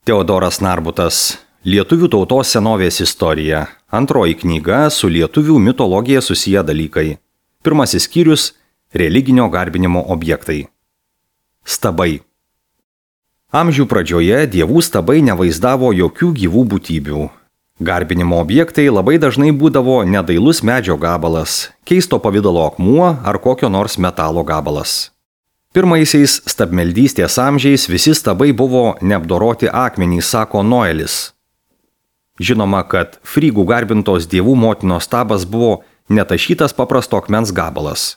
Teodoras Narbutas. Lietuvių tautos senovės istorija. Antroji knyga su lietuvių mitologija susiję dalykai. Pirmasis skyrius – religinio garbinimo objektai. Stabai. Amžių pradžioje dievų stabai nevaizdavo jokių gyvų būtybių. Garbinimo objektai labai dažnai būdavo nedailus medžio gabalas, keisto pavidalo akmuo ar kokio nors metalo gabalas. Pirmaisiais stabmeldystės amžiais visi stabai buvo neapdoroti akmenys, sako Noelis. Žinoma, kad frygų garbintos dievų motinos stabas buvo netašytas paprasto akmens gabalas.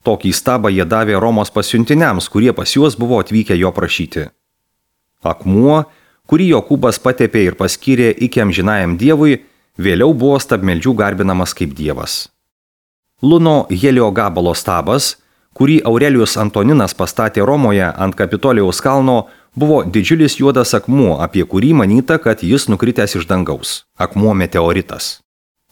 Tokį stabą jie davė Romos pasiuntiniams, kurie pas juos buvo atvykę jo prašyti. Akmuo, kurį Jokūbas patepė ir paskyrė iki amžinajam dievui, vėliau buvo stabmeldžių garbinamas kaip dievas. Luno Helio gabalo stabas, kurį Aurelijus Antoninas pastatė Romoje ant Kapitolijaus kalno, buvo didžiulis juodas akmuo, apie kurį manyta, kad jis nukritęs iš dangaus. Akmuo meteoritas.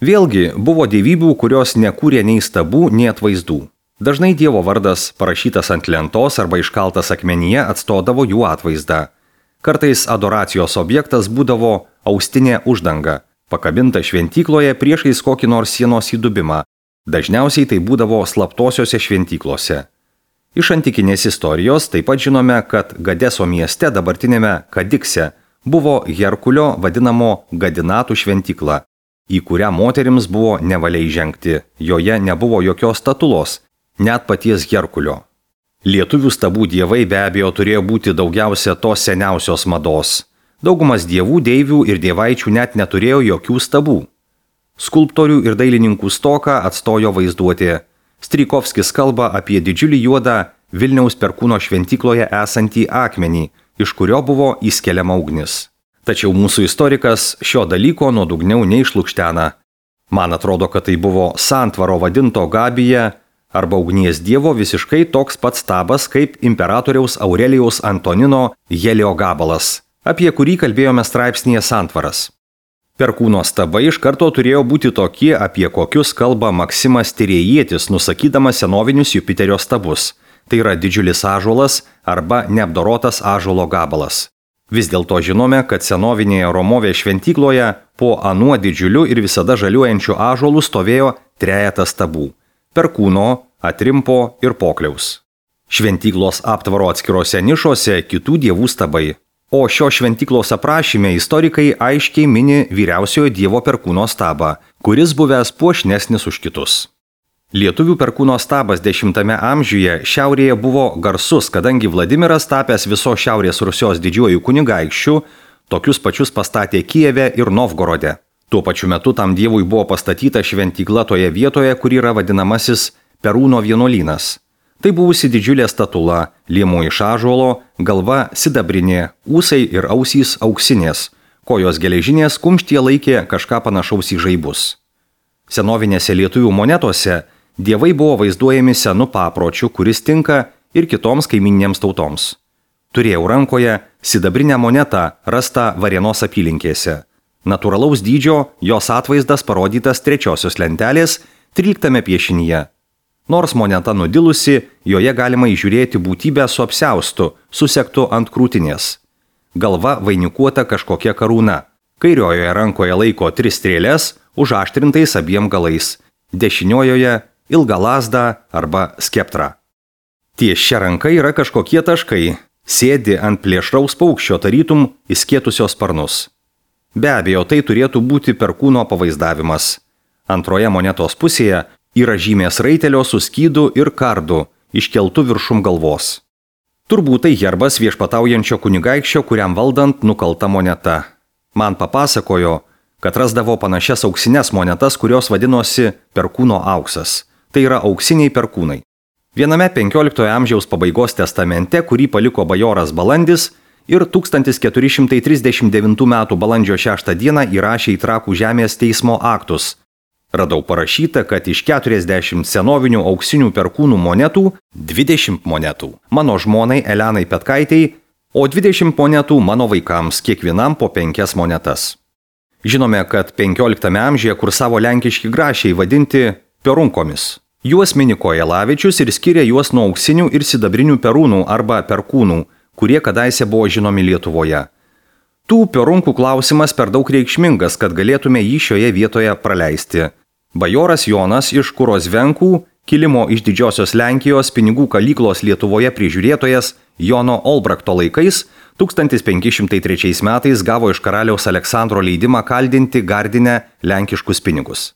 Vėlgi buvo dievybių, kurios nekūrė nei stabų, nei atvaizdų. Dažnai dievo vardas parašytas ant lentos arba iškaltas akmenyje atstodavo jų atvaizdą. Kartais adoracijos objektas būdavo austinė uždanga, pakabinta šventykloje priešais kokį nors sienos įdubimą. Dažniausiai tai būdavo slaptosiose šventyklose. Iš antikinės istorijos taip pat žinome, kad Gadeso mieste, dabartinėme Kadikse, buvo Herkulio vadinamo Gadinatų šventykla, į kurią moterims buvo nevalia įžengti, joje nebuvo jokios statulos, net paties Herkulio. Lietuvių stabų dievai be abejo turėjo būti daugiausia tos seniausios mados. Daugumas dievų, deivių ir dievaičių net neturėjo jokių stabų. Skulptorių ir dailininkų stoką atstojo vaizduotė. Strykovskis kalba apie didžiulį juodą Vilniaus Perkūno šventykloje esantį akmenį, iš kurio buvo įskeliama ugnis. Tačiau mūsų istorikas šio dalyko nuodugniau neišlukštena. Man atrodo, kad tai buvo santvaro vadinto Gabija arba ugnies dievo visiškai toks pats stabas kaip imperatoriaus Aurelijaus Antonino Helio gabalas, apie kurį kalbėjome straipsnyje Santvaras. Perkūno stabai iš karto turėjo būti tokie, apie kokius kalba Maksimas Tyrėjietis, nusakydamas senovinius Jupiterio stabus. Tai yra didžiulis ąžuolas arba neapdorotas ąžuolo gabalas. Vis dėlto žinome, kad senovinėje Romovės šventykloje po anuo didžiuliu ir visada žaliuojančiu ąžuolu stovėjo trejetas stabų – Perkūno, Atrimpo ir Pokliaus. Šventyklos aptvaro atskirose nišose kitų dievų stabai. O šio šventyklos aprašyme istorikai aiškiai mini vyriausiojo dievo Perkūno stabą, kuris buvęs puošnesnis už kitus. Lietuvių Perkūno stabas X amžiuje šiaurėje buvo garsus, kadangi Vladimiras, tapęs viso Šiaurės Rusios didžiuoju kunigaikščiu, tokius pačius pastatė Kijeve ir Novgorode. Tuo pačiu metu tam dievui buvo pastatyta šventykla toje vietoje, kur yra vadinamasis Perūno vienuolynas. Tai buvusi didžiulė statula, liemuo iš ąžuolo, galva sidabrinė, ūsai ir ausys auksinės, kojos geležinės, kumštyje laikė kažką panašaus į žaibus. Senovinėse lietuvių monetose dievai buvo vaizduojami senu papročiu, kuris tinka ir kitoms kaiminėms tautoms. Turėjau rankoje sidabrinę monetą rastą Varėnos apylinkėse. Natūralaus dydžio jos atvaizdas parodytas 3 lentelės 13 piešinyje. Nors moneta nudilusi, joje galima įžiūrėti būtybę su apsiaustu, susektu ant krūtinės. Galva vainikuota kažkokia karūna. Kairiojoje rankoje laiko 3 strėlės, užaštrintais abiem galais. Dešiniojoje ilga lazda arba skeptra. Ties šia ranka yra kažkokie taškai. Sėdi ant plėšraus paukščio tarytum įskėtusios sparnus. Be abejo, tai turėtų būti Perkūno pavaizdavimas. Antroje monetos pusėje yra žymės raitelio su skydu ir kardu, iškeltu viršum galvos. Turbūt tai herbas viešpataujančio kunigaikščio, kuriam valdant nukalta moneta. Man papasakojo, kad rasdavo panašias auksinės monetas, kurios vadinosi Perkūno auksas. Tai yra auksiniai perkūnai. Viename 15 amžiaus pabaigos testamente, kurį paliko bajoras Balandis, ir 1439 m. balandžio 6 d. įrašė į Trakų žemės teismo aktus. Radau parašyta, kad iš 40 senovinių auksinių perkūnų monetų 20 monetų mano žmonai Elenai Petkaitei, o 20 monetų mano vaikams, kiekvienam po 5 monetas. Žinome, kad 15 amžiuje kursavo lenkiški grašiai vadinti perunkomis. Juos mini Kojelavičius ir skiria juos nuo auksinių ir sidabrinių perūnų arba perkūnų, kurie kadaise buvo žinomi Lietuvoje. Tų piarunkų klausimas per daug reikšmingas, kad galėtume jį šioje vietoje praleisti. Bajoras Jonas iš Kurozvenkų, kilimo iš Didžiosios Lenkijos pinigų kalyklos Lietuvoje prižiūrėtojas Jono Olbrakto laikais 1503 metais gavo iš karaliaus Aleksandro leidimą kaldinti Gardine lenkiškus pinigus.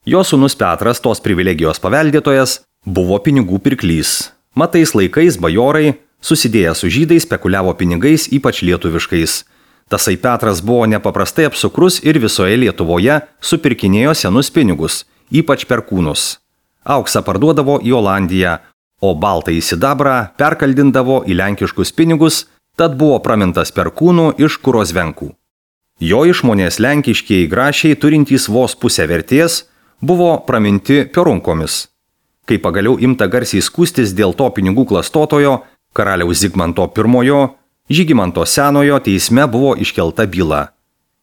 Jo sūnus Petras, tos privilegijos paveldėtojas, buvo pinigų pirklys. Mat tais laikais bajorai, susidėję su žydais, spekuliavo pinigais, ypač lietuviškais. Tasai Petras buvo nepaprastai apsukrus ir visoje Lietuvoje supirkinėjo senus pinigus, ypač perkūnus. Auksą parduodavo į Olandiją, o baltąjį sidabrą perkaldindavo į lenkiškus pinigus, tad buvo pramintas perkūnų iš Kurozvenkų. Jo išmonės lenkiškieji grašiai, turintys vos pusę vertės, buvo praminti piarunkomis. Kai pagaliau imta garsiai skųstis dėl to pinigų klastotojo, karaliaus Zigmanto I, Žygimanto Senojo teisme buvo iškelta byla.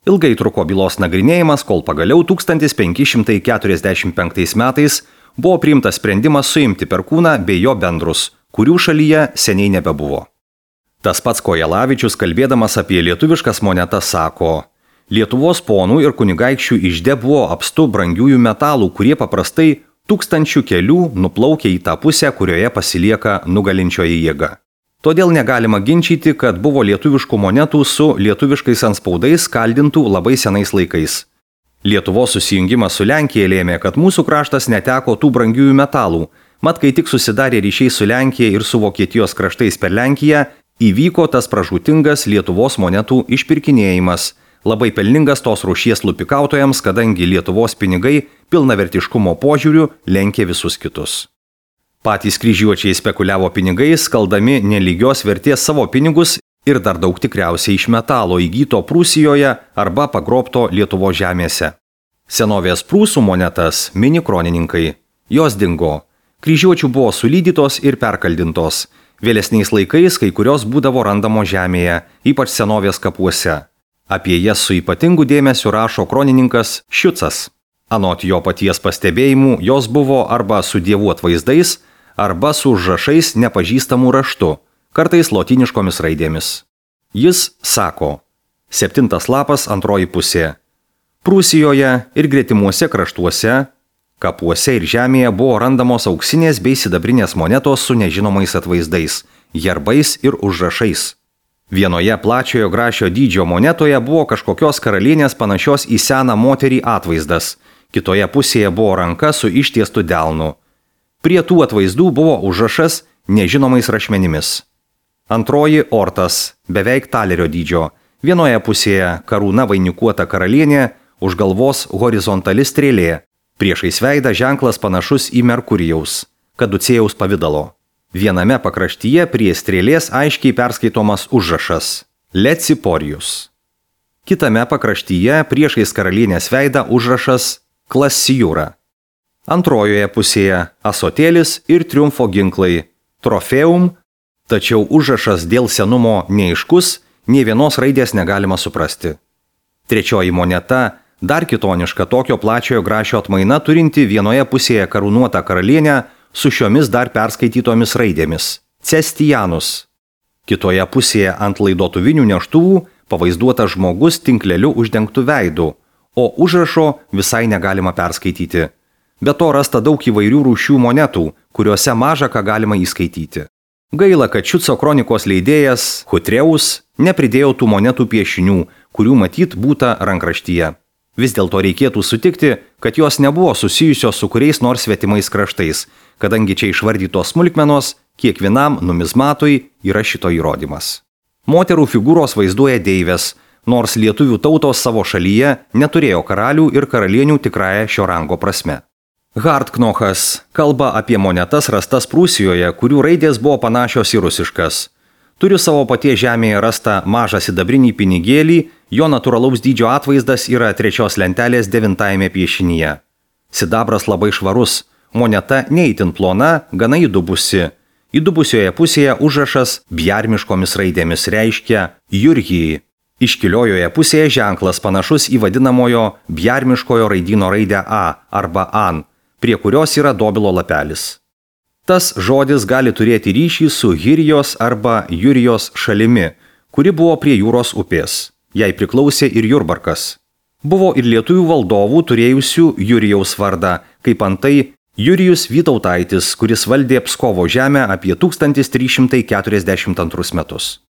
Ilgai truko bylos nagrinėjimas, kol pagaliau 1545 metais buvo priimtas sprendimas suimti perkūną bei jo bendrus, kurių šalyje seniai nebebuvo. Tas pats Kojelavičius, kalbėdamas apie lietuviškas monetas, sako: Lietuvos ponų ir kunigaikščių ižde buvo apstu brangiųjų metalų, kurie paprastai tūkstančių kelių nuplaukia į tą pusę, kurioje pasilieka nugalinčioji jėga. Todėl negalima ginčyti, kad buvo lietuviškų monetų su lietuviškais anspaudais kaldintų labai senais laikais. Lietuvos susijungimas su Lenkija lėmė, kad mūsų kraštas neteko tų brangiųjų metalų, mat kai tik susidarė ryšiai su Lenkija ir su Vokietijos kraštais per Lenkiją, įvyko tas pražūtingas Lietuvos monetų išpirkinėjimas, labai pelningas tos rūšies lupikautojams, kadangi Lietuvos pinigai pilnavertiškumo požiūriu lenkė visus kitus. Patys kryžiuočiai spekuliavo pinigais, skaldami nelygios vertės savo pinigus ir dar daug tikriausiai iš metalo įgyto Prūsijoje arba pagrobto Lietuvos žemėse. Senovės prūsų monetas mini kronininkai. Jos dingo. Kryžiuočių buvo sulydytos ir perkaldintos. Vėlesniais laikais kai kurios būdavo randamo žemėje, ypač senovės kapuose. Apie jas su ypatingu dėmesiu rašo kronininkas Šiucas. Anot jo paties pastebėjimų, jos buvo arba su dievų atvaizdais, arba su užrašais nepažįstamų raštu, kartais lotyniškomis raidėmis. Jis sako: 7 lapas 2 pusė. Prūsijoje ir gretimuose kraštuose, kapuose ir žemėje buvo randamos auksinės bei sidabrinės monetos su nežinomais atvaizdais, herbais ir užrašais. Vienoje plačiojo grašio dydžio monetoje buvo kažkokios karalienės panašios į seną moterį atvaizdas, kitoje pusėje buvo ranka su ištiestu delnu. Prie tų atvaizdų buvo užrašas nežinomais rašmenimis. Antroji ortas, beveik talerio dydžio. Vienoje pusėje karūna vainikuota karalienė, už galvos horizontali strėlė. Priešais veidą ženklas panašus į Merkurijaus, kaducėjaus pavidalo. Viename pakraštyje prie strėlės aiškiai perskaitomas užrašas Leciporijus. Kitame pakraštyje priešais karalienės veidą užrašas Klassijūra. Antrojoje pusėje asotėlis ir triumfo ginklai Trofeum, tačiau užrašas dėl senumo neaiškus, nė vienos raidės negalima suprasti. Trečioji moneta, dar kitoniška tokio plačiojo grašio atmaina, turinti vienoje pusėje karūnuotą karalienę su šiomis dar perskaitytomis raidėmis Cestijanus. Kitoje pusėje ant laidotuvinių neštuvų pavaizduotas žmogus tinkleliu uždengtų veidų, o užrašo visai negalima perskaityti. Be to rasta daug įvairių rūšių monetų, kuriuose maža ką galima įskaityti. Gaila, kad Šiuco kronikos leidėjas Hutreus nepridėjo tų monetų piešinių, kurių matyt būta rankraštyje. Vis dėlto reikėtų sutikti, kad jos nebuvo susijusios su kuriais nors svetimais kraštais, kadangi čia išvardytos smulkmenos kiekvienam numizmatui yra šito įrodymas. Moterų figūros vaizduoja deivės, nors lietuvių tautos savo šalyje neturėjo karalių ir karalienių tikrąją šio rango prasme. Hartknochas kalba apie monetas rastas Prūsijoje, kurių raidės buvo panašios į rusiškas. Turiu savo paties žemėje rastą mažą sidabrinį pinigėlį, jo natūralaus dydžio atvaizdas yra 3 lentelės 9 piešinyje. Sidabras labai švarus, moneta neįtin plona, gana įdubusi. Įdubusioje pusėje užrašas bjarmiškomis raidėmis reiškia Jurgijai. Iškiliojoje pusėje ženklas panašus į vadinamojo bjarmiškojo raidyno raidę A arba An, prie kurios yra dobilo lapelis. Tas žodis gali turėti ryšį su Hirijos arba Jurijos šalimi, kuri buvo prie jūros upės. Jai priklausė ir Jurbarkas. Buvo ir lietuvių valdovų turėjusių Jurijaus vardą, kaip antai Jurijus Vytautaitis, kuris valdė Pskovo žemę apie 1342 metus.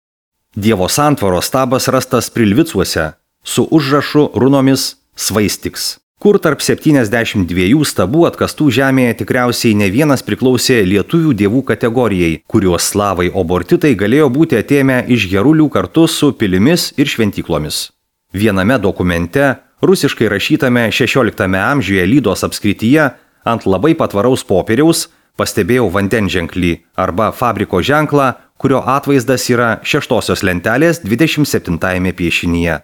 Dievo santvaros stabas rastas Prilvicuose su užrašu runomis Svaistiks, kur tarp 72 stabų atkastų žemėje tikriausiai ne vienas priklausė lietuvių dievų kategorijai, kuriuos slavai obortitai galėjo būti atėmę iš Herulių kartu su pilimis ir šventyklomis. Viename dokumente, rusiškai rašytame 16 amžiuje Lydos apskrityje, ant labai patvaraus popieriaus pastebėjau vandenženklį arba fabriko ženklą, kurio atvaizdas yra 6 lentelės 27 piešinyje.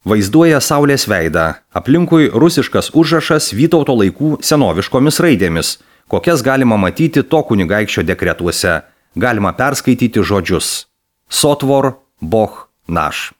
Vaizduoja saulės veidą, aplinkui rusiškas užrašas Vytauto laikų senoviškomis raidėmis, kokias galima matyti to kunigaikščio dekretuose. Galima perskaityti žodžius Sotvor Boh naš.